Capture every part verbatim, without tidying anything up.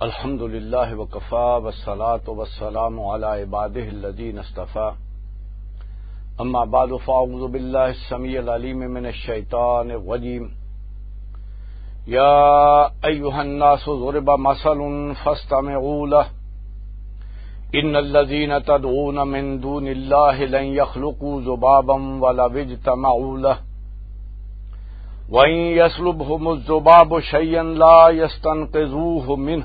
الحمد لله وكفى، والصلاة والسلام على عباده الذين اصطفى. أما بعد، فأعوذ بالله السميع العليم من الشيطان الرجيم. يا أيها الناس ضرب مثل فاستمعوا له. إن الذين تدعون من دون الله لن يخلقوا ذبابا ولو اجتمعوا له. وإن يسلبهم الذباب شيئا لا يستنقذوه منه.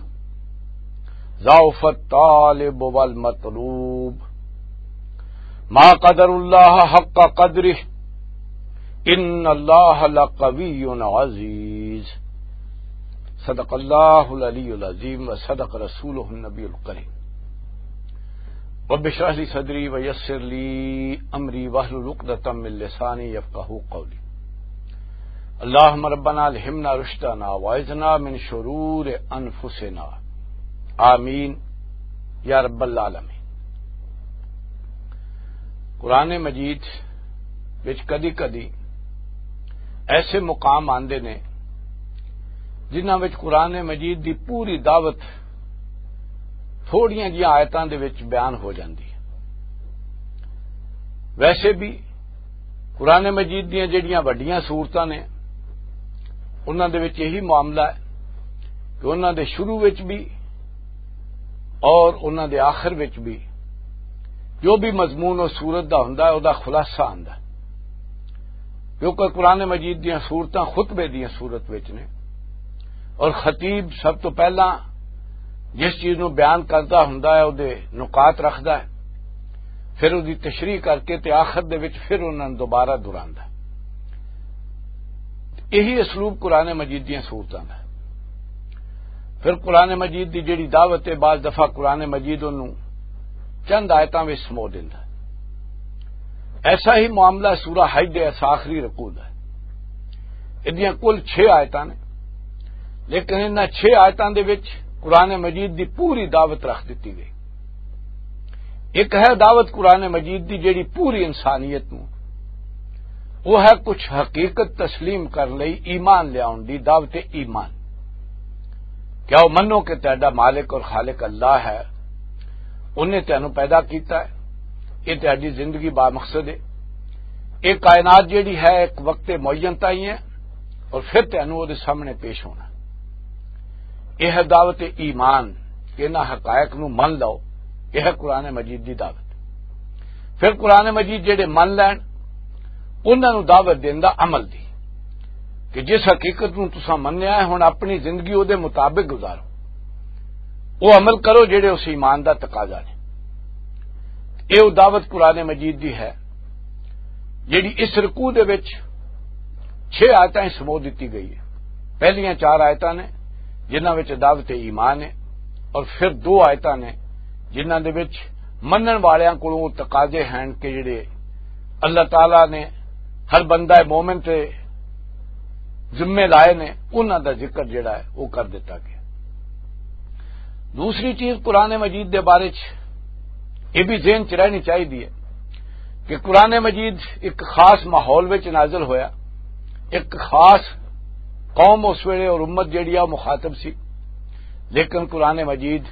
ضعف الطالب والمطلوب. ما قدر الله حق قدره. إن الله لقوي عزيز. صدق الله العلي العظيم وصدق رسوله النبي الكريم. رب اشرح لي صدري ويسر لي أمري واحلل عقدة من لساني يفقهوا قولي. اللهم ربنا ألهمنا رشدنا وأعذنا من شرور أنفسنا. آمين يا رب العالمين. قرآن مجید وچ کدی کدی ایسے مقام آندے نے جنہاں وچ قرآن مجید دی پوری دعوت تھوڑیاں جیاں آیتاں دے وچ بیان ہو جاندی ہے۔ ویسے بھی قرآن مجید دیاں جڑیاں وڈیاں صورتاں نے، انہاں دے وچ یہی معاملہ ہے کہ انہاں دے شروع وچ بھی اور انہاں دے آخر وچ بھی جو بھی مضمون اس صورت دا ہوندا ہے، او دا خلاصہ آندا ہے۔ کیونکہ قرآن مجید دیاں صورتاں خطبے دیاں صورت وچ نے، اور خطیب سب تو پہلا جس چیز نو بیان کردا ہوندا ہے، او دے نکات رکھدا ہے، پھر او دی تشریح کر کے تے آخر دے وچ پھر انہاں نوں دوبارہ دہراندا ہے۔ یہی اسلوب قرآن مجید دیاں صورتاں دا ہے۔ پھر قرآن مجید دی جڑی دعوت ہے، بعض دفعہ قرآن مجید انہوں چند آیتاں وچ سمو دیندا ہے۔ ایسا ہی معاملہ سورہ حج دے اس آخری رکوع دا ہے۔ ادیاں کل چھ آیتاں نے، لیکن انہاں چھ آیتاں دے وچ قرآن مجید دی پوری دعوت رکھ دتی گئی۔ ایک ہے دعوت قرآن مجید دی جڑی پوری انسانیت نوں، وہ ہے کچھ حقیقت تسلیم کر لئی، ایمان لیاؤن دی دعوت ایمان۔ کیا وہ منو کہ تہاڈا مالک اور خالق اللہ ہے، انہیں تینوں پیدا کیتا ہے، یہ تہاڈی زندگی با مقصد ہے، یہ کائنات جڑی ہے ایک وقت معین تائیں ہے، اور پھر تینوں وہ سامنے پیش ہونا۔ یہ ہے دعوت ایمان کہ انہاں حقائق نو من لو۔ یہ ہے قرآن مجید دی دعوت۔ پھر قرآن مجید جڑے من لین، انہاں نو دعوت دین دا عمل دی، کہ جس حقیقت نو تساں منیا ہے، ہن اپنی زندگی او دے مطابق گزارو، او عمل کرو جڑے اس ایمان دا تقاضا نے۔ یہ دعوت قرآن مجید دی ہے، جڑی اس رکوع دے وچ چھ آیتاں ہی سمو دتی گئی ہے۔ پہلیاں چار آیتاں نے جنہاں وچ دعوت ایمان ہے، اور پھر دو آیتاں نے جنہاں دے وچ منن والیاں کولوں تقاضے ہیں کہ جڑے اللہ تعالیٰ نے ہر بندہ مومن تے ذمے لائے نے، انہاں دا ذکر جڑا ہے وہ کر دتا گیا۔ دوسری چیز قرآن مجید دے بارے چ یہ بھی ذہن چ رہنی چاہیے کہ قرآن مجید ایک خاص ماحول وچ نازل ہویا، ایک خاص قوم اس ویلے اور امت جڑی آ مخاطب سی، لیکن قرآن مجید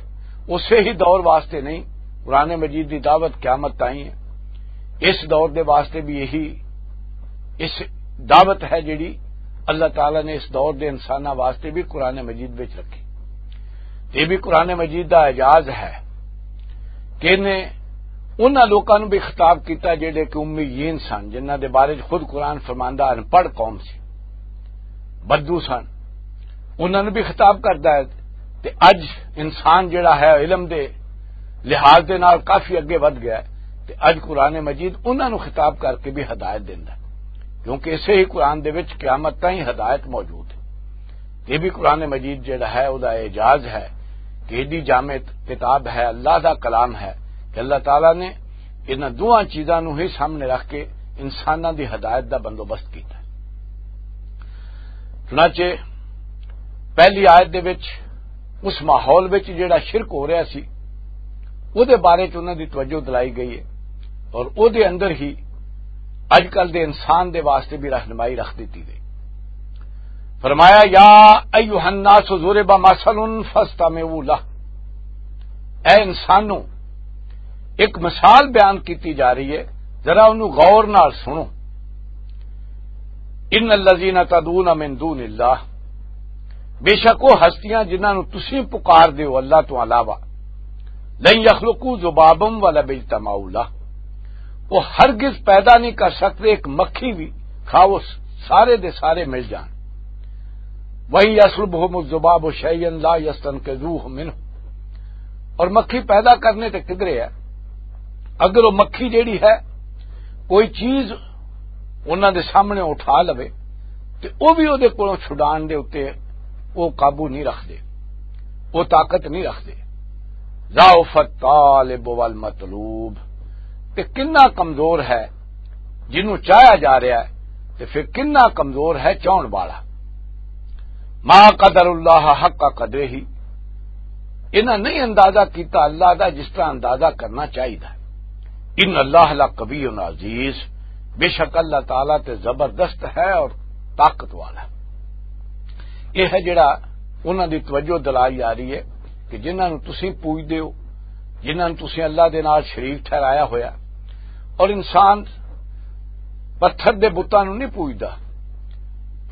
اسے ہی دور واسطے نہیں۔ قرآن مجید دی دعوت قیامت تائیں ہے۔ اس دور دے واسطے بھی یہی اس دعوت ہے جڑی اللہ تعالیٰ نے اس دور دے انساناں واسطے بھی قرآن مجید وچ رکھی۔ یہ بھی قرآن مجید دا اعجاز ہے کہ انہیں انہاں لوکاں نوں بھی خطاب کیتا جڑے کہ امیین سن، جنہاں دے بارے چ خود قرآن فرماندا ان پڑھ قوم سی، بدو سن، انہاں نوں بھی خطاب کردا ہے۔ تے اج انسان جڑا ہے علم دے لحاظ دے نال کافی اگے ودھ گیا ہے، تے اج قرآن مجید انہاں نوں خطاب کر کے بھی ہدایت دیندا ہے، کیونکہ اسے ہی قرآن دے وچ قیامت تائیں ہدایت موجود ہے۔ یہ بھی قرآن مجید جڑا ہے، او دا اعجاز ہے کہ ایڈی جامع کتاب ہے، اللہ دا کلام ہے، کہ اللہ تعالیٰ نے انہاں دوواں چیزاں نوں ہی سامنے رکھ کے انساناں دی ہدایت دا بندوبست کیتا ہے۔ چنانچہ پہلی آیت دے وچ اس ماحول وچ جڑا شرک ہو رہا سی، او دے بارے چ انہاں دی توجہ دلائی گئی ہے، اور او دے اندر ہی اج کل دے انسان دے واسطے بھی رہنمائی رکھ دتی گئی۔ فرمایا، یا ایھا الناس ضرب مثل فاستمعوا لہ۔ اے انسانوں، ایک مثال بیان کیتی جا رہی ہے، ذرا انہوں غور نال سنو۔ ان الذین تدعون من دون اللہ، بے شک وہ ہستیاں جنہاں نوں تسی پکار دیو اللہ تو علاوہ، لن یخلقوا ذبابا ولو اجتمعوا لہ، وہ ہرگز پیدا نہیں کر سکتے ایک مکھی بھی، کھا وہ سارے دے سارے مل جان۔ وَإِنْ يَسْلُبْهُمُ الذُّبَابُ شَيْئًا لَا يَسْتَنْقِذُوهُ مِنْهُ۔ اور مکھی پیدا کرنے تے کدرے ہے، اگر وہ مکھی جیڑی ہے کوئی چیز انہاں دے سامنے اٹھا لوے، تے او بھی او دے کولوں چھڈان دے اُتے او قابو نہیں رکھدے، او طاقت نہیں رکھدے۔ ضعف الطالب والمطلوب، تے کنا کمزور ہے جنوں چاہیا جا رہا ہے، تے پھر کنا کمزور ہے چاہن والا۔ ما قدر اللہ حق قدرہ، انہاں نہیں اندازہ کیتا اللہ دا جس طرح اندازہ کرنا چاہیدا ہے۔ ان اللہ لقوی عزیز، بے شک اللہ تعالیٰ تے زبردست ہے اور طاقت والا ہے۔ یہ ہے جڑا انہاں دی توجہ دلائی آ رہی ہے کہ جنہاں نوں تسی پوجدے ہو، جنہاں نوں تسی اللہ دے نال شریک ٹھہرایا ہویا، اور انسان پتھر دے بتاں نوں نہیں پوجدا،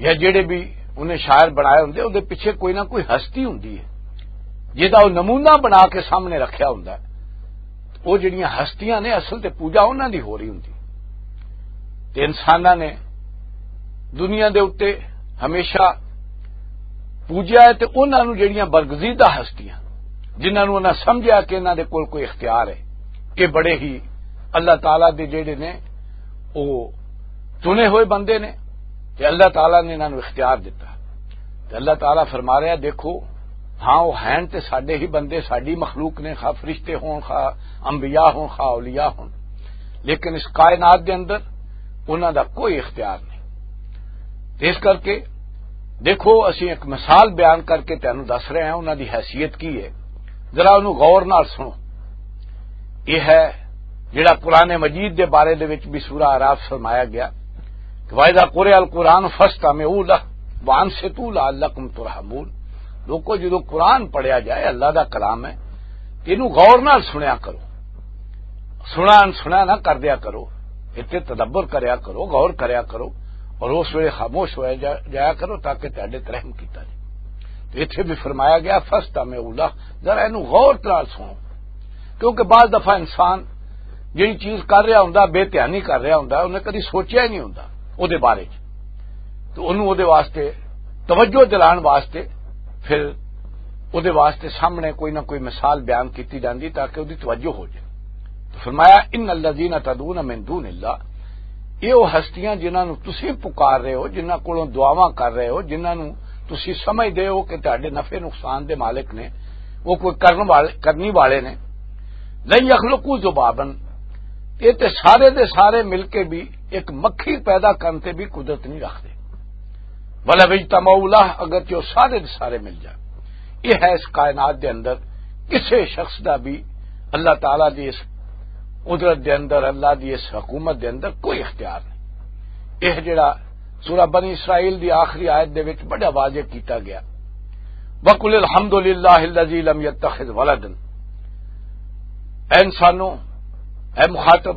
یا جڑے بھی انہیں شاعر بنائے ہوندے، اون دے پیچھے کوئی نہ کوئی ہستی ہوندی ہے جہدا وہ نمونہ بنا کے سامنے رکھیا ہوندا ہے۔ وہ جڑیاں ہستیاں نے اصل تے پوجا انہاں دی ہو رہی ہوندی، تے انساناں نے دنیا دے اُتے ہمیشہ پوجیا ہے، تے انہاں نوں جڑیاں برگزیدہ ہستیاں، جنہاں نوں انہاں سمجھیا کہ انہاں دے کول کوئی اختیار ہے، کہ بڑے ہی اللہ تعالیٰ دے جڑے نے، وہ چنے ہوئے بندے نے، تے اللہ تعالیٰ نے انہاں نوں اختیار دتا۔ تے اللہ تعالیٰ فرما رہا، دیکھو، ہاں، وہ ہیں تے ساڈے ہی بندے، ساڈی مخلوق نے، خواہ فرشتے ہون، خواہ انبیاء ہون، خواہ اولیاء ہون، لیکن اس کائنات دے اندر انہاں دا کوئی اختیار نہیں۔ تے اس کر کے دیکھو، اسی ایک مثال بیان کر کے تینوں دس رہے ہیں، انہاں دی حیثیت کی ہے، ذرا انہوں غور نال سنو۔ یہ ہے جڑا قرآن مجید دے بارے دے وچ بھی سورہ اعراف فرمایا گیا کہ وَإِذَا قُرِئَ الْقُرْآنُ فَاسْتَمِعُوا لَهُ وَأَنصِتُوا لَعَلَّكُمْ تُرْحَمُونَ۔ لوکو، جدوں قرآن پڑھیا جائے، اللہ دا کلام ہے، تے اینوں غور نال سنیا کرو۔ سنا انسنا نہ کر دیا کرو، اتنے تدبر کریا کرو، غور کریا کرو، اور اس ویلے خاموش ہو جا-، جایا کرو تاکہ تہاڈے تے رحم کیتا جائے۔ تو اتنے بھی فرمایا گیا، فاستمعوا لہ، ذرا اینو غور نال سنو، کیونکہ بعض دفعہ انسان جڑی چیز کر رہا ہوندا، بے دھیانی کر رہا ہوندا، انہیں کدی سوچیا ہی نہیں ہوندا او دے بارے چ۔ تو انہوں او دے واسطے توجہ دلان واسطے پھر او دے واسطے سامنے کوئی نہ کوئی مثال بیان کیتی جاندی تاکہ او دی توجہ ہو جائے۔ تو فرمایا، ان الذین تدعون من دون اللہ، یہ وہ ہستیاں جنہاں نو تسی پکار رہے ہو، جنہاں کولوں دعاواں کر رہے ہو، جنہاں نو تسی سمجھدے ہو کہ تہاڈے نفع نقصان دے مالک نے، وہ کوئی کرن والے، کرنی والے نے، لن یخلقوا ذبابا، یہ تے سارے دے سارے مل کے بھی ایک مکھی پیدا کرن تے بھی قدرت نہیں رکھتے۔ ولو اجتمعوا لہ، اگرچہ وہ سارے دے سارے مل جان۔ یہ ہے اس کائنات دے اندر کسے شخص دا بھی اللہ تعالیٰ دی اس قدرت دے اندر، اللہ دی اس حکومت دے اندر کوئی اختیار نہیں۔ یہ جڑا سورہ بنی اسرائیل دی آخری آیت دے وچ بڑا واضح کیتا گیا، وَقُلِ الْحَمْدُ لِلَّهِ الَّذِي لَمْ يَتَّخِذْ وَلَدًا۔ اے انسانوں، اے مخاطب،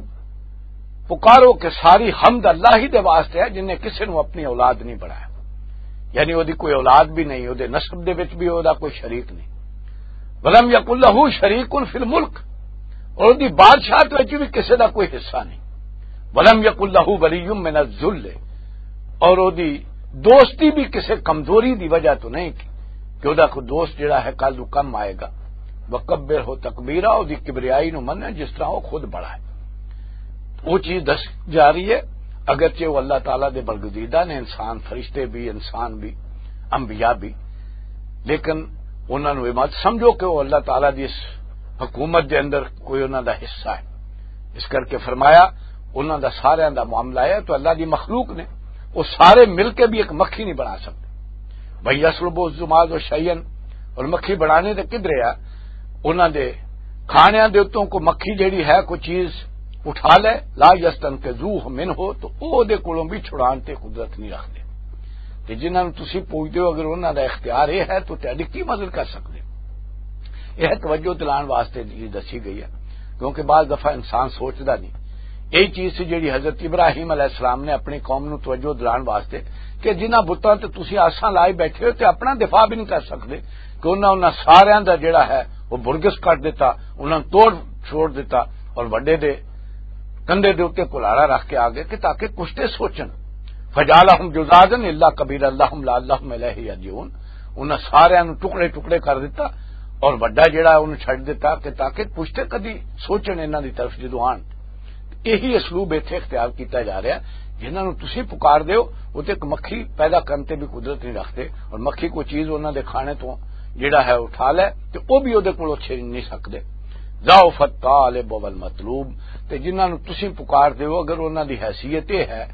پکارو کہ ساری حمد اللہ ہی دے واسطے ہے جن نے کسے نو اپنی اولاد نہیں بنایا۔ یعنی او دی کوئی اولاد بھی نہیں، او دے نسب دے وچ بھی او دا کوئی شریک نہیں۔ ولم یکن لہ شریک فی الملک، اور او دی بادشاہت وچ بھی کسے دا کوئی حصہ نہیں۔ ولم یکن لہ ولی من الذل، اور او دی دوستی بھی کسے کمزوری دی وجہ تو نہیں کہ، کہ او دا کوئی دوست جڑا ہے کل نو کم آئے گا۔ وکبرہ تکبیرا، او دی کبریائی نو من جس طرح او خود بڑا ہے۔ وہ چیز دس جا رہی ہے، اگرچہ وہ اللہ تعالیٰ دے برگزیدہ نے، انسان، فرشتے بھی، انسان بھی، انبیاء بھی، لیکن انہاں نوں یہ مت سمجھو کہ وہ اللہ تعالیٰ دی اس حکومت دے اندر کوئی انہاں دا حصہ ہے۔ اس کر کے فرمایا، انہاں دا سارے دا معاملہ ہے تو اللہ دی مخلوق نے، وہ سارے مل کے بھی ایک مکھی نہیں بنا سکتے۔ بھئی، یسلب الزماز و شیئن، اور مکھی بنانے دے کدھرے آ؟ انہاں دے کھانیاں دے اتوں کو مکھی جیڑی ہے، کوئی چیز اٹھا لے، لا یستنقذوہ منہ، تو او دے کولوں بھی چھڑان تے قدرت نہیں رکھدے۔ کہ جنہاں نوں تسی پوجدے ہو، اگر انہاں دا اختیار یہ ہے تو تہاڈی کی مدد کر سکدے؟ یہ توجہ دلان واسطے جی دسی گئی ہے، کیونکہ بعض دفعہ انسان سوچدا نہیں۔ یہی چیز سی جیڑی حضرت ابراہیم علیہ السلام نے اپنی قوم نوں توجہ دلان واسطے، کہ جنہاں بتاں تے تسی آساں لائی بیٹھے ہو تے اپنا دفاع بھی نہیں کر سکدے، کہ انہاں، انہاں ساریاں دا جڑا ہے وہ برگس کٹ دیتا، انہاں نوں توڑ چھوڑ دیتا، اور وڈے دے کندھے دے اُتے کلہاڑا رکھ کے آ گئے کہ تاکہ کچھ تے سوچن۔ فجعلہم جذاذا الا کبیرا لہم لعلہم الیہ یرجعون۔ انہاں ساریاں نوں ٹکڑے ٹکڑے کر دتا اور وڈا جڑا ہے انہوں چھڈ دتا کہ تاکہ کچھ تے کدی سوچن انہاں دی طرف جدوں آن۔ یہی اسلوب ایتھے اختیار کیتا جا رہا ہے۔ جنہاں نوں تسی پکار دیو، وہ تے ایک مکھی پیدا کرن تے بھی قدرت نہیں رکھتے، اور مکھی کوئی چیز انہاں دے کھانے تو جڑا ہے اٹھا لے، تے وہ بھی اودے کولوں چھین نہیں سکدے۔ ضعف الطالب والمطلوب، تے جنہاں نوں تسی پکار دیو، اگر انہاں دی حیثیت یہ ہے،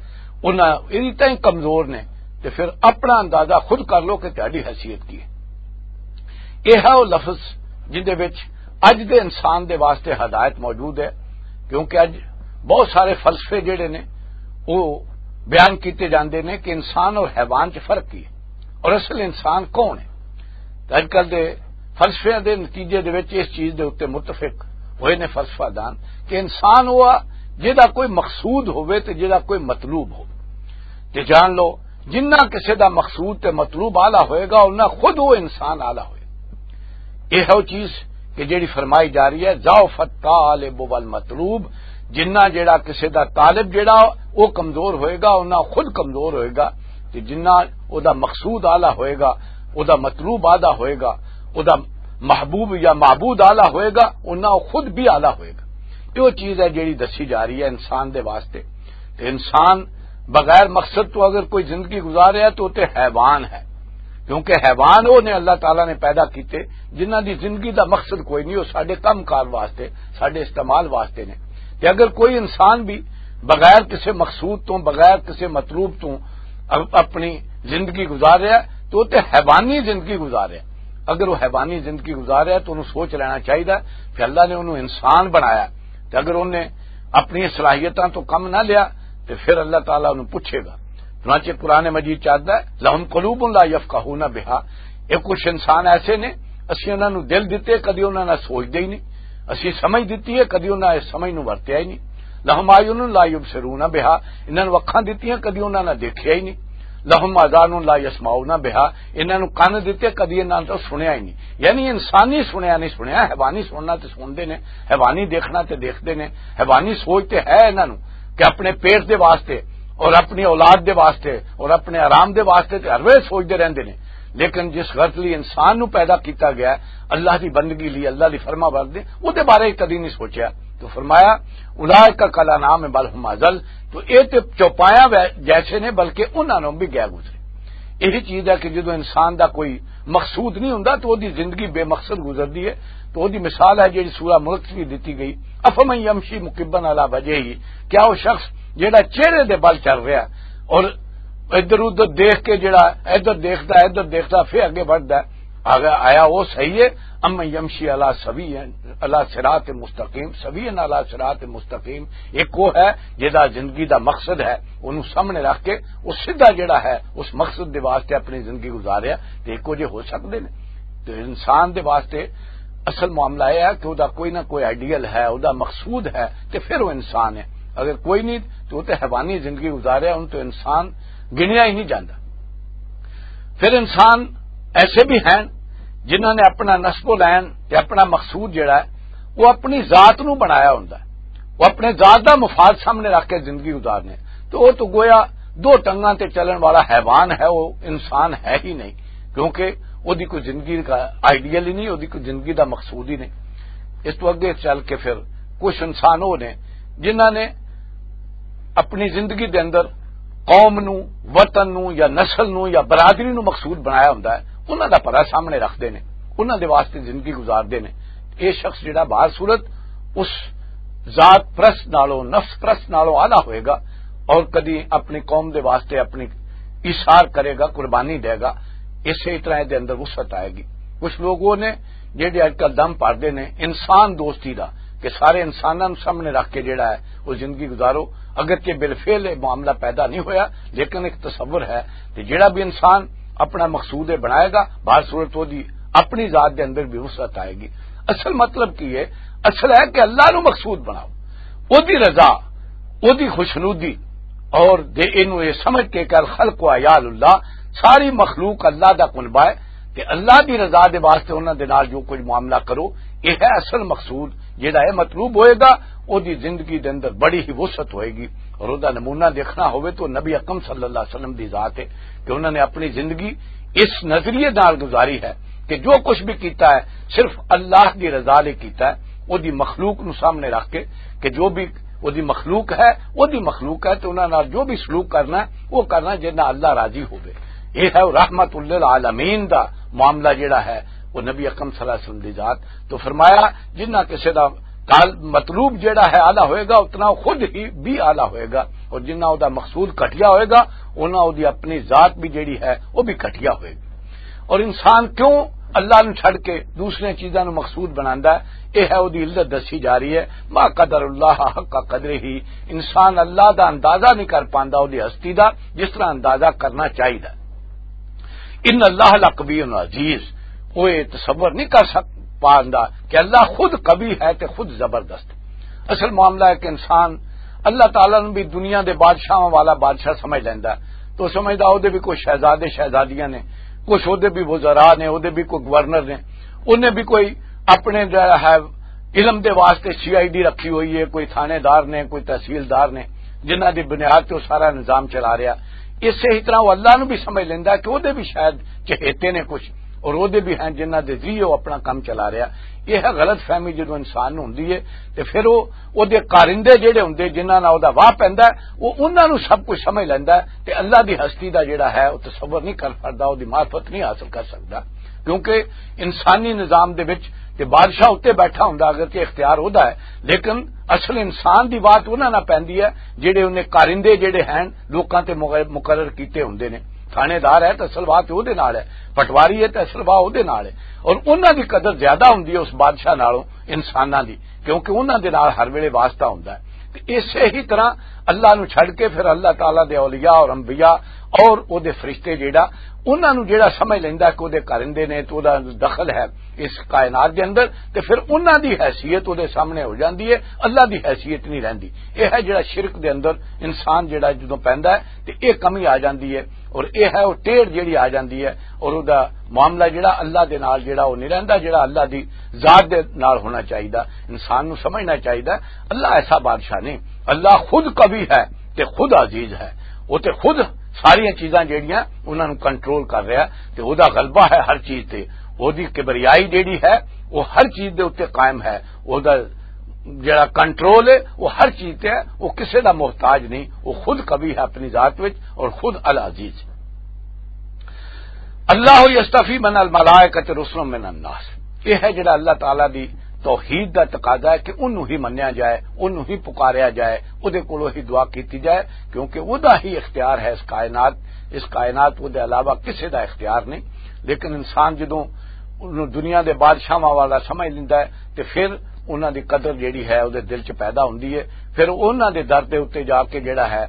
انہاں انی تائیں کمزور نے، تے پھر اپنا اندازہ خود کر لو کہ تہاڈی حیثیت کی ہے۔ یہ ہے وہ لفظ جن دے وچ اج دے انسان دے واسطے ہدایت موجود ہے، کیونکہ اج بہت سارے فلسفے جڑے نے وہ بیان کیتے جاندے نے کہ انسان اور حیوان چ فرق کی ہے اور اصل انسان کون ہے۔ تے اج کل دے فلسفیاں دے نتیجے دے وچ اس چیز دے اُتے متفق ہوئے نے فلسفہ دان کہ انسان وہ آ جہدا کوئی مقصود ہوئے تے جہدا کوئی مطلوب ہو۔ تے جان لو، جنہ کسے دا مقصود تے مطلوب آلہ ہوئے گا، انہاں خود وہ انسان آلہ ہوئے۔ یہ ہے وہ چیز کہ جیڑی فرمائی جا رہی ہے، ضعف الطالب والمطلوب۔ جنہ جیڑا کسے دا طالب جیڑا وہ کمزور ہوئے گا، انہاں خود کمزور ہوئے گا۔ تے جنہ او دا مقصود آلہ ہوئے گا، او دا مطلوب آلہ ہوئے گا، او دا محبوب یا معبود آلہ ہوئے گا، انہاں خود بھی آلہ ہوئے گا۔ یہ وہ چیز ہے جیڑی دسی جا رہی ہے انسان دے واسطے۔ تے انسان بغیر مقصد تو اگر کوئی زندگی گزار رہا ہے تو تے حیوان ہے، کیونکہ حیوان وہ نے اللہ تعالیٰ نے پیدا کیتے جنہاں دی زندگی دا مقصد کوئی نہیں، وہ ساڈے کم کار واسطے، ساڈے استعمال واسطے نے۔ تے اگر کوئی انسان بھی بغیر کسے مقصود تو، بغیر کسے مطلوب تو ا-، اپنی زندگی گزار رہا ہے تو وہ تے حیوانی زندگی گزار رہا ہے۔ اگر وہ حیوانی زندگی گزار رہا ہے تو انہوں سوچ لینا چاہیے کہ اللہ نے انہوں انسان بنایا، تے اگر انہیں اپنی صلاحیتاں تو کم نہ لیا تے پھر اللہ تعالیٰ انہوں پوچھے گا۔ چنانچہ قرآن مجید چاہتا ہے، "لہم قلوب لا یفقہون بہا"، یہ کچھ انسان ایسے نے، اسی انہاں نوں دل دتے، کدی انہاں نال سوچدے ہی نہیں، اسی سمجھ دتی ہے، کدی انہاں اس سمجھ نوں ورتیا ہی نہیں۔ "لہم اعین لا یبصرون بہا"، انہاں نوں اکھاں دتیاں، کدی انہاں نال دیکھیا ہی نہیں۔ "لہم آذان لا یسمعون بہا"، انہاں نوں کان دتے، کدی انہاں نال سنیا ہی نہیں۔ یعنی انسانی سنیا نہیں سنیا، حیوانی سننا تے سنتے نے، حیوانی دیکھنا تے دیکھتے نے، حیوانی سوچ تے ہے انہاں نوں کہ اپنے پیٹ دے واسطے اور اپنی اولاد دے واسطے اور اپنے آرام دے واسطے تے ہر ویلے سوچتے رہندے نے۔ لیکن جس غرض لئی انسان نوں پیدا کیتا گیا ہے، اللہ دی بندگی لئی، اللہ دی فرما برداری، او دے بارے کدی نہیں سوچیا۔ تو فرمایا، "اولئک کالانعام بل هم اضل"، تو اے تے چوپایاں وے-، جیسے نے، بلکہ انہاں نوں بھی گیا گزرے۔ یہی چیز ہے کہ جدوں انسان دا کوئی مقصود نہیں ہوندا تو اودی زندگی بے مقصد گزردی ہے۔ تو اودی مثال ہے جیڑی سورہ ملک وچ دتی گئی، "افمن یمشی مکبن علی وجہہ"، کیا وہ شخص جیڑا چہرے دے بل چل رہا ہے اور ادھر ادھر دیکھ کے جڑا ادھر دیکھدا ہے، ادھر دیکھدا، پھر اگے بڑھدا ہے، اگر آیا وہ صحیح ہے؟ "ام یمشی علی سوی، علی صراط مستقیم"، سوی علی صراط مستقیم۔ ایک وہ ہے جہدا زندگی دا مقصد ہے، انہوں سامنے رکھ کے وہ سیدھا جڑا ہے اس مقصد دے واسطے اپنی زندگی گزاریا، تے ایک وجہ ہو سکدے نے۔ تو انسان دے واسطے اصل معاملہ یہ ہے کہ وہ دا کوئی نہ کوئی آئیڈیل ہے، وہ دا مقصود ہے، تے پھر وہ انسان ہے۔ اگر کوئی نہیں تو وہ تے حیوانی زندگی گزاریا، ان تو انسان گنیا ہی نہیں جاندا۔ پھر انسان ایسے بھی ہیں جنہاں نے اپنا نسب و لین تے اپنا مقصود جڑا ہے وہ اپنی ذات نو بنایا ہوندا ہے، وہ اپنے ذات دا مفاد سامنے رکھ کے زندگی گزارنے۔ تو وہ تو گویا دو ٹنگاں تے چلن والا حیوان ہے، وہ انسان ہے ہی نہیں، کیونکہ وہ دی کوئی زندگی کا آئیڈیل ہی نہیں، وہ دی کوئی زندگی دا مقصود ہی نہیں۔ اس تو اگے چل کے پھر کچھ انسان وہ نے جنہاں نے اپنی زندگی دے اندر قوم نو، وطن نو یا نسل نو یا برادری نو مقصود بنایا ہوندا ہے، انہاں دا پرا سامنے رکھدے نے، انہاں دے واسطے زندگی گزاردے نے۔ یہ شخص جڑا باہر صورت اس ذات پرست نالوں، نفس پرست نالوں آلہ ہوئے گا اور کدی اپنی قوم دے واسطے اپنی ایثار کرے گا، قربانی دے گا، اسی طرح دے اندر وسعت آئے گی۔ کچھ لوگ وہ نے جڑے اج کل دم پاردے نے انسان دوستی دا، کہ سارے انساناں نوں سامنے رکھ کے جڑا ہے وہ زندگی گزارو۔ اگرچہ بالفعل یہ معاملہ پیدا نہیں ہویا، لیکن ایک تصور ہے کہ جڑا بھی انسان اپنا مقصود یہ بنائے گا، بہر صورت وہ دی اپنی ذات دے اندر بھی وسعت آئے گی۔ اصل مطلب کی ہے؟ اصل ہے کہ اللہ نو مقصود بناؤ، او دی رضا، او دی خوشنودی، اور دے اینو یہ سمجھ کے کہ الخلق و عیال اللہ، ساری مخلوق اللہ دا کنبہ ہے، تے اللہ دی رضا دے واسطے انہاں دے نال جو کچھ معاملہ کرو، یہ ہے اصل مقصود۔ جڑا یہ مطلوب ہوئے گا، او دی زندگی دے اندر بڑی ہی وسعت ہوئے گی۔ اور او دا نمونہ دیکھنا ہوئے تو نبی اکرم صلی اللہ علیہ وسلم دی ذات ہے کہ انہوں نے اپنی زندگی اس نظریے نال گزاری ہے کہ جو کچھ بھی کیتا ہے، صرف اللہ دی رضا لئی کیتا ہے، او دی مخلوق نو سامنے رکھ کے کہ جو بھی او دی مخلوق ہے، او دی مخلوق ہے، تے انہاں نال جو بھی سلوک کرنا ہے، او کرنا جنہاں اللہ راضی ہوے۔ یہ ہے رحمت للعالمین دا معاملہ جڑا ہے، وہ نبی اکرم صلی اللہ علیہ وسلم دی ذات۔ تو فرمایا، جنہ کسے دا کال-، مطلوب جڑا ہے اعلیٰ ہوئے گا، اتنا وہ خود ہی بھی اعلیٰ ہوئے گا، اور جنہ او دا مقصود گھٹیا ہوئے گا، انہاں او دی اپنی ذات بھی جڑی ہے، وہ بھی گھٹیا ہوئے گی۔ اور انسان کیوں اللہ نو چھڈ کے دوسریاں چیزاں نو مقصود بناندا ہے؟ یہ ہے او دی علت دسی جا رہی ہے، ما قدر اللہ حق قدرہ، انسان اللہ دا اندازہ نہیں کر پاندا او دی ہستی دا، جس طرح اندازہ کرنا چاہیدا۔ ان اللہ لقوی عزیز، وہ یہ تصور نہیں کر سک پاندا کہ اللہ خود قوی ہے تے خود زبردست۔ اصل معاملہ ہے کہ انسان اللہ تعالیٰ نو بھی دنیا دے بادشاہاں والا بادشاہ سمجھ لیندا ہے، تو سمجھدا او دے بھی کوئی شہزادے شہزادیاں نے، کچھ او دے بھی وزراء نے، او دے بھی کوئی گورنر نے، انہیں بھی کوئی اپنے جڑا ہے علم دے واسطے سی آئی ڈی رکھی ہوئی ہے، کوئی تھانے دار نے، کوئی تحصیلدار نے، جنہاں دی بنیاد تے او سارا نظام چلا رہیا۔ اسے ہی طرح او اللہ نو بھی سمجھ لیندا کہ او دے بھی شاید چہیتے نے کچھ، اور او دے بھی ہیں جنہاں دے ذریعے او اپنا کام چلا رہیا۔ یہ ہے غلط فہمی جدوں انسان نوں ہوندی ہے، تے پھر او او دے کارندے جڑے ہوندے جنہاں نال او دا واہ پیندا ہے، او انہاں نوں سب کچھ سمجھ لیندا ہے، تے اللہ دی ہستی دا جڑا ہے او تصور نہیں کر سکدا، او دی معرفت نہیں حاصل کر سکدا۔ کیونکہ انسانی نظام دے وچ تے بادشاہ اُتے بیٹھا ہوندا، اگرچہ اختیار ہودا ہے، لیکن اصل انسان دی بات انہاں نال پیندی ہے جڑے انہیں کارندے جڑے ہیں لوکاں تے مغ-، مقرر کیتے ہوندے نے۔ تھانے دار ہے تے اصل بات اودے نال ہے، پٹواری ہے تے اصل بات اودے نال ہے، اور انہاں دی قدر زیادہ ہوندی ہے اس بادشاہ نالوں انساناں دی، کیونکہ انہاں دے نال ہر ویلے واسطہ ہوندا ہے۔ تے اسے ہی طرح اللہ نو چھڈ کے پھر اللہ تعالیٰ دے اولیاء اور انبیاء اور او دے فرشتے جیڑا، انہاں نو جیڑا سمجھ لیندا کہ او دے کارندے نے تے او دا دخل ہے اس کائنات دے اندر، تے پھر انہاں دی حیثیت او دے سامنے ہو جاندی ہے، اللہ دی حیثیت نہیں رہندی۔ یہ ہے جیڑا شرک دے اندر انسان جیڑا جدوں پیندا ہے تے یہ کمی آ جاندی ہے، اور یہ ہے وہ ٹیڑھ جیڑی آ جاندی ہے، اور او دا معاملہ جیڑا اللہ دے نال جیڑا او نہیں رہندا، جیڑا اللہ دی ذات دے نال ہونا چاہیدا۔ انسان نو سمجھنا چاہیدا، اللہ ایسا بادشاہ نہیں، اللہ خود قوی ہے تے خود عزیز ہے، وہ تے خود ساریاں چیزاں جیڑیاں انہاں نو کنٹرول کر رہا، تے او دا غلبہ ہے ہر چیز تے، او دی کبریائی جیڑی ہے وہ ہر چیز دے اُتے قائم ہے، او دا جڑا کنٹرول ہے وہ ہر چیز تے ہے، وہ کسے دا محتاج نہیں، وہ خود قوی ہے اپنی ذات وچ اور خود العزیز۔ اللہ یستفی من الملائکۃ رسلا من الناس، یہ ہے جڑا اللہ تعالیٰ دی توحید دا تقاضا ہے کہ انہوں ہی منیا جائے، انہوں ہی پکاریا جائے، او دے کولوں ہی دعا کیتی جائے، کیونکہ او دا ہی اختیار ہے اس کائنات، اس کائنات او دے علاوہ کسے دا اختیار نہیں۔ لیکن انسان جدوں انہوں دنیا دے بادشاہاں والا سمجھ لیندا ہے تے پھر انہاں دی قدر جیڑی ہے او دے دل چ پیدا ہوندی ہے، پھر انہاں دے در دے اُتے جا کے جیڑا ہے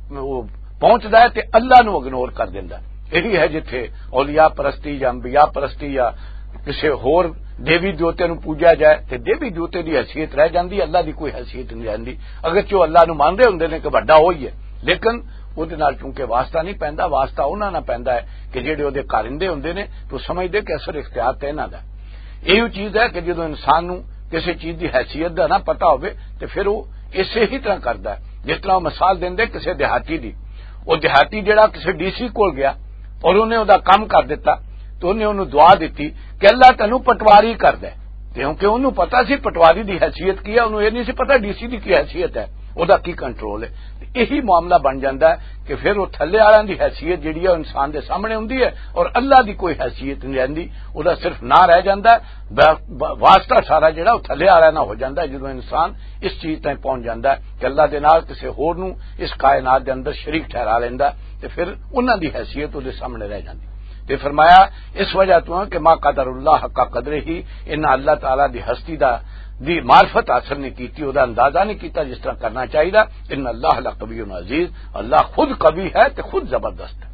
وہ پہنچدا ہے تے اللہ نو اگنور کر دیندا ہے۔ یہی ہے جتھے اولیاء پرستی یا انبیاء پرستی یا کسے ہور دیوی دیوتے نو پوجا جائے تے دیوی دیوتے دی حیثیت رہ جاندی، اللہ دی کوئی حیثیت نہیں رہندی۔ اگرچہ وہ اللہ نو مان رہے ہوندے نے کہ بڑا ہوئی ہے، لیکن او دے نال چونکہ واسطہ نہیں پیندا، واسطہ انہاں نال پیندا ہے کہ جیڑے او دے کارندے ہوندے نے تو سمجھدے کہ اصل اختیار تے انہاں دا۔ ایہو چیز ہے کہ جدوں انسان نوں کسے چیز دی حیثیت دا نہ پتہ ہووے تے پھر او اسے ہی طرح کردا ہے۔ جس طرح او مثال دیندے کسے دیہاتی دی، او دیہاتی جڑا کسے ڈی سی کول گیا اور انہیں او دا کم کر دتا، تو انہیں انہوں دعا دتی کہ اللہ تینوں پٹواری کر دے۔ کیونکہ انہوں پتہ سی پٹواری دی حیثیت کی ہے، انہوں یہ نہیں سی پتہ ڈی سی دی کی حیثیت ہے، او دا کی کنٹرول ہے۔ تے یہی معاملہ بن جاندا ہے کہ پھر وہ تھلے والیاں دی حیثیت جڑی ہے، وہ انسان دے سامنے ہوندی ہے اور اللہ دی کوئی حیثیت نہیں رہندی، او دا صرف نہ رہ جاندا ہے، وا-، وا-، واسطہ سارا جڑا وہ تھلے والا نہ ہو جاندا ہے۔ جدوں انسان اس چیز تائیں پہنچ جاندا ہے کہ اللہ دے نال کسے ہور نوں اس کائنات دے اندر شریک ٹھہرا لیندا ہے، تے پھر انہاں دی حیثیت او دے سامنے رہ جاندی۔ تے فرمایا، اس وجہ تو کہ ما قدر اللہ حق قدرہ، انہاں اللہ تعالیٰ دی ہستی دا دی معرفت حاصل نہیں کیتی، او دا اندازہ نہیں کیتا جس طرح کرنا چاہیے۔ ان اللہ لقوی عزیز، اللہ خود قوی ہے تے خود زبردست ہے۔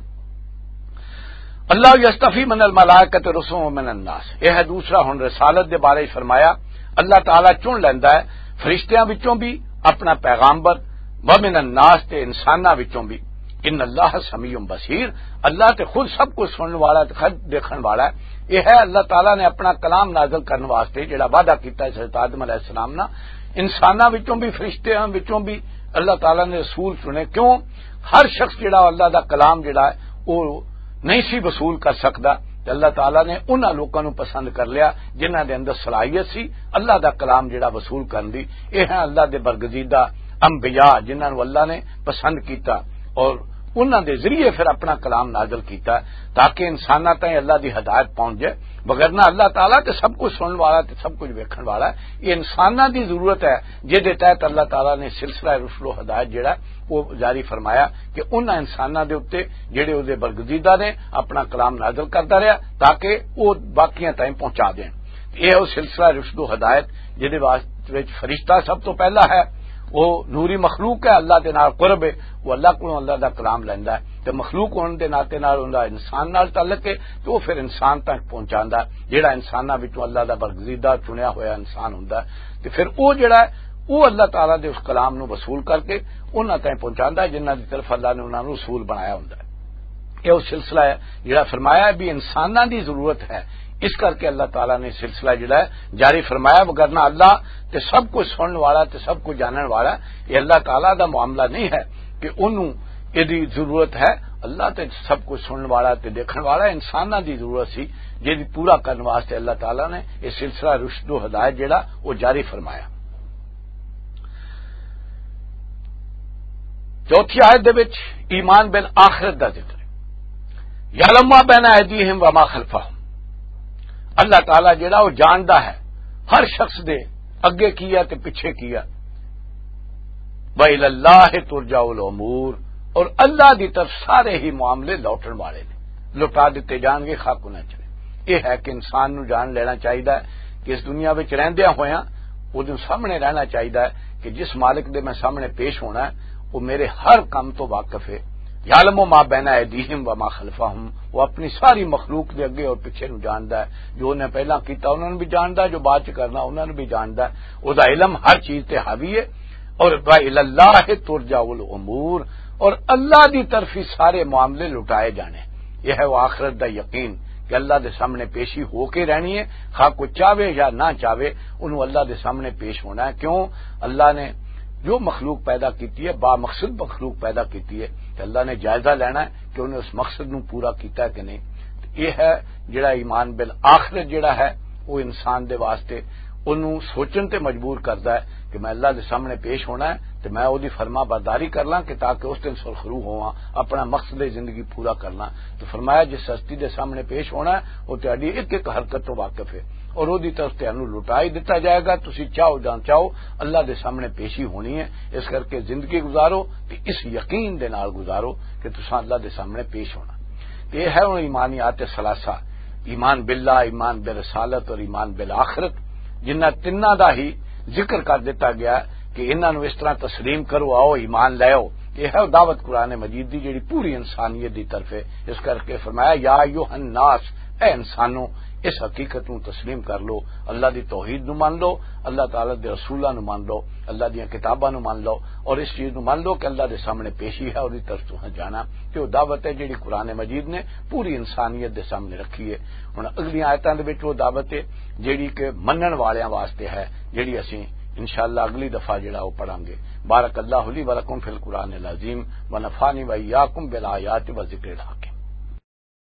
اللہ یستفی من الملائکۃ رسلا و من الناس، یہ ہے دوسرا۔ ہن رسالت دے بارے فرمایا، اللہ تعالیٰ چن لیندا ہے فرشتیاں وچوں بھی اپنا پیغامبر، ومن الناس، تے انساناں وچوں بھی۔ ان اللہ سمیع بصیر، اللہ تے خود سب کچھ سنن والا تے خود دیکھن والا ہے۔ یہ ہے اللہ تعالیٰ نے اپنا کلام نازل کرن واسطے جڑا وعدہ کیتا ہے حضرت آدم علیہ السلام نا، انساناں وچوں بھی، فرشتیاں وچوں بھی اللہ تعالیٰ نے رسول چنے۔ کیوں؟ ہر شخص جڑا اللہ دا کلام جڑا ہے، وہ نہیں سی وصول کر سکدا، تے اللہ تعالیٰ نے انہاں لوکاں نوں پسند کر لیا جنہاں دے اندر صلاحیت سی اللہ دا کلام جڑا وصول کرن دی۔ یہ ہے اللہ دے برگزیدہ انبیاء، جنہاں نوں اللہ نے پسند کیتا اور انہاں دے ذریعے پھر اپنا کلام نازل کیتا، تاکہ انساناں تائیں اللہ دی ہدایت پہنچ جائے۔ وگرنہ اللہ تعالیٰ تے سب کچھ سنن والا تے سب کچھ ویکھن والا ہے۔ یہ انساناں دی ضرورت ہے، جس دے تحت اللہ تعالیٰ نے سلسلہ رشد و ہدایت جڑا وہ جاری فرمایا کہ انہاں انساناں دے اُتے جڑے اُس دے برگزیدہ نے، اپنا کلام نازل کرتا رہیا تاکہ وہ باقیاں تائیں پہنچا دین۔ یہ وہ سلسلہ رشد و ہدایت جس دے واسطے وچ فرشتہ سب تو پہلا ہے، وہ نوری مخلوق ہے، اللہ دے نال قرب ہے، وہ اللہ کو اللہ دا کلام لیندا ہے۔ تے مخلوق ہون دے ناطے نال اوندا انسان نال تعلق ہے، تے او پھر انسان تک پہنچاندا ہے، جیڑا انساناں وچوں اللہ دا برگزیدہ چنیا ہویا انسان ہوندا ہے۔ تے پھر او جیڑا ہے، او اللہ تعالیٰ دے اس کلام نو وصول کر کے انہاں تائیں پہنچاندا ہے، جنہاں دی طرف اللہ نے انہاں نو رسول بنایا ہوندا ہے۔ یہ وہ سلسلہ ہے جڑا فرمایا ہے بھی انساناں دی ضرورت ہے، اس کر کے اللہ تعالیٰ نے سلسلہ جڑا ہے جاری فرمایا۔ وگرنہ اللہ تے سب کچھ سنن والا تے سب کچھ جانن والا، یہ اللہ تعالیٰ دا معاملہ نہیں ہے کہ انہوں یہ دی ضرورت ہے۔ اللہ تے سب کچھ سنن والا تے دیکھن والا، انساناں دی ضرورت سی، جس دی پورا کرن واسطے اللہ تعالیٰ نے یہ سلسلہ رشد و ہدایت جڑا وہ جاری فرمایا۔ چوتھی آیت دے وچ ایمان بالآخرت دا ذکر ہے۔ یعلم ما بین ایدیہم وما خلفہم۔ اللہ تعالیٰ جڑا وہ جاندا ہے ہر شخص دے اگے کیا تے پیچھے کیا۔ وَإِلَى اللَّهِ تُرْجَعُ الْأُمُورُ، اور اللہ دی طرف سارے ہی معاملے لوٹن والے نے، لوٹا دتے جان گے، خاک نہ چلے۔ یہ ہے کہ انسان نو جان لینا چاہیدا ہے کہ اس دنیا وچ رہندیاں ہویاں اودے سامنے رہنا چاہیدا ہے کہ جس مالک دے میں سامنے پیش ہونا ہے، وہ میرے ہر کام تو واقف ہے۔ یعلم ما بین ایدیہم وما خلفہم، وہ اپنی ساری مخلوق دے اگے اور پیچھے نو جاندا ہے۔ جو انہیں پہلاں کیتا انہاں نوں بھی جاندا ہے، جو بعد چ کرنا انہاں نوں بھی جاندا ہے۔ او دا علم ہر چیز تے حاوی ہے۔ اور وَإِلَى اللَّهِ تُرْجَعُ الْأُمُورُ، اور اللہ دی طرف ہی سارے معاملے لٹائے جانے۔ یہ ہے وہ آخرت دا یقین کہ اللہ دے سامنے پیشی ہو کے رہنی ہے، خواہ کوئی چاہے یا نہ چاہے، انہوں اللہ دے سامنے پیش ہونا ہے۔ کیوں؟ اللہ نے جو مخلوق پیدا کیتی ہے، با مقصد مخلوق پیدا کیتی ہے، تو اللہ نے جائزہ لینا ہے کہ انہیں اس مقصد نو پورا کیتا ہے کہ نہیں۔ یہ ہے جڑا ایمان بالآخرت جڑا ہے، وہ انسان دے واسطے انہوں سوچن تے مجبور کردا ہے کہ میں اللہ دے سامنے پیش ہونا ہے تے میں اودی فرما برداری کر لاں کہ تاکہ اس دن سرخرو ہوواں، اپنا مقصد زندگی پورا کر لاں۔ تو فرمایا، جس ہستی دے سامنے پیش ہونا ہے، وہ تہاڈی ایک ایک حرکت تو واقف ہے اور اودی طرف تہانوں لٹائی دتا جائے گا، تسی چاہو جان چاہو، اللہ دے سامنے پیشی ہونی ہے۔ اس کر کے زندگی گزارو تے اس یقین دے نال گزارو کہ تساں اللہ دے سامنے پیش ہونا۔ تے یہ ہے ہن ایمانیات ثلاثہ، ایمان باللہ، ایمان برسالت اور ایمان بالآخرت، جنہ تنہ دا ہی ذکر کر دیتا گیا کہ انہاں نوں اس طرح تسلیم کرو، آؤ ایمان لے آؤ۔ یہ ہے دعوت قرآن مجید دی جڑی پوری انسانیت دی طرف ہے۔ اس کر کے فرمایا، یا ایھا الناس، اے انسانوں، اس حقیقت نوں تسلیم کر لو، اللہ دی توحید نوں مان لو، اللہ تعالیٰ دے رسولاں نوں مان لو، اللہ دیاں کتاباں نوں مان لو، اور اس چیز نوں مان لو کہ اللہ دے سامنے پیشی ہے، اور دی طرف تساں جانا۔ کہ وہ دعوت ہے جڑی قرآن مجید نے پوری انسانیت دے سامنے رکھی ہے۔ ہن اگلی آیتاں دے وچ وہ دعوت ہے جڑی کہ منن والیاں واسطے ہے، جڑی اسی انشاءاللہ اگلی دفعہ جڑا وہ پڑھاں گے۔ بارک اللہ لی ولکم فی القرآن العظیم، ونفعنی وایاکم بالآیات و ذکر الحکیم۔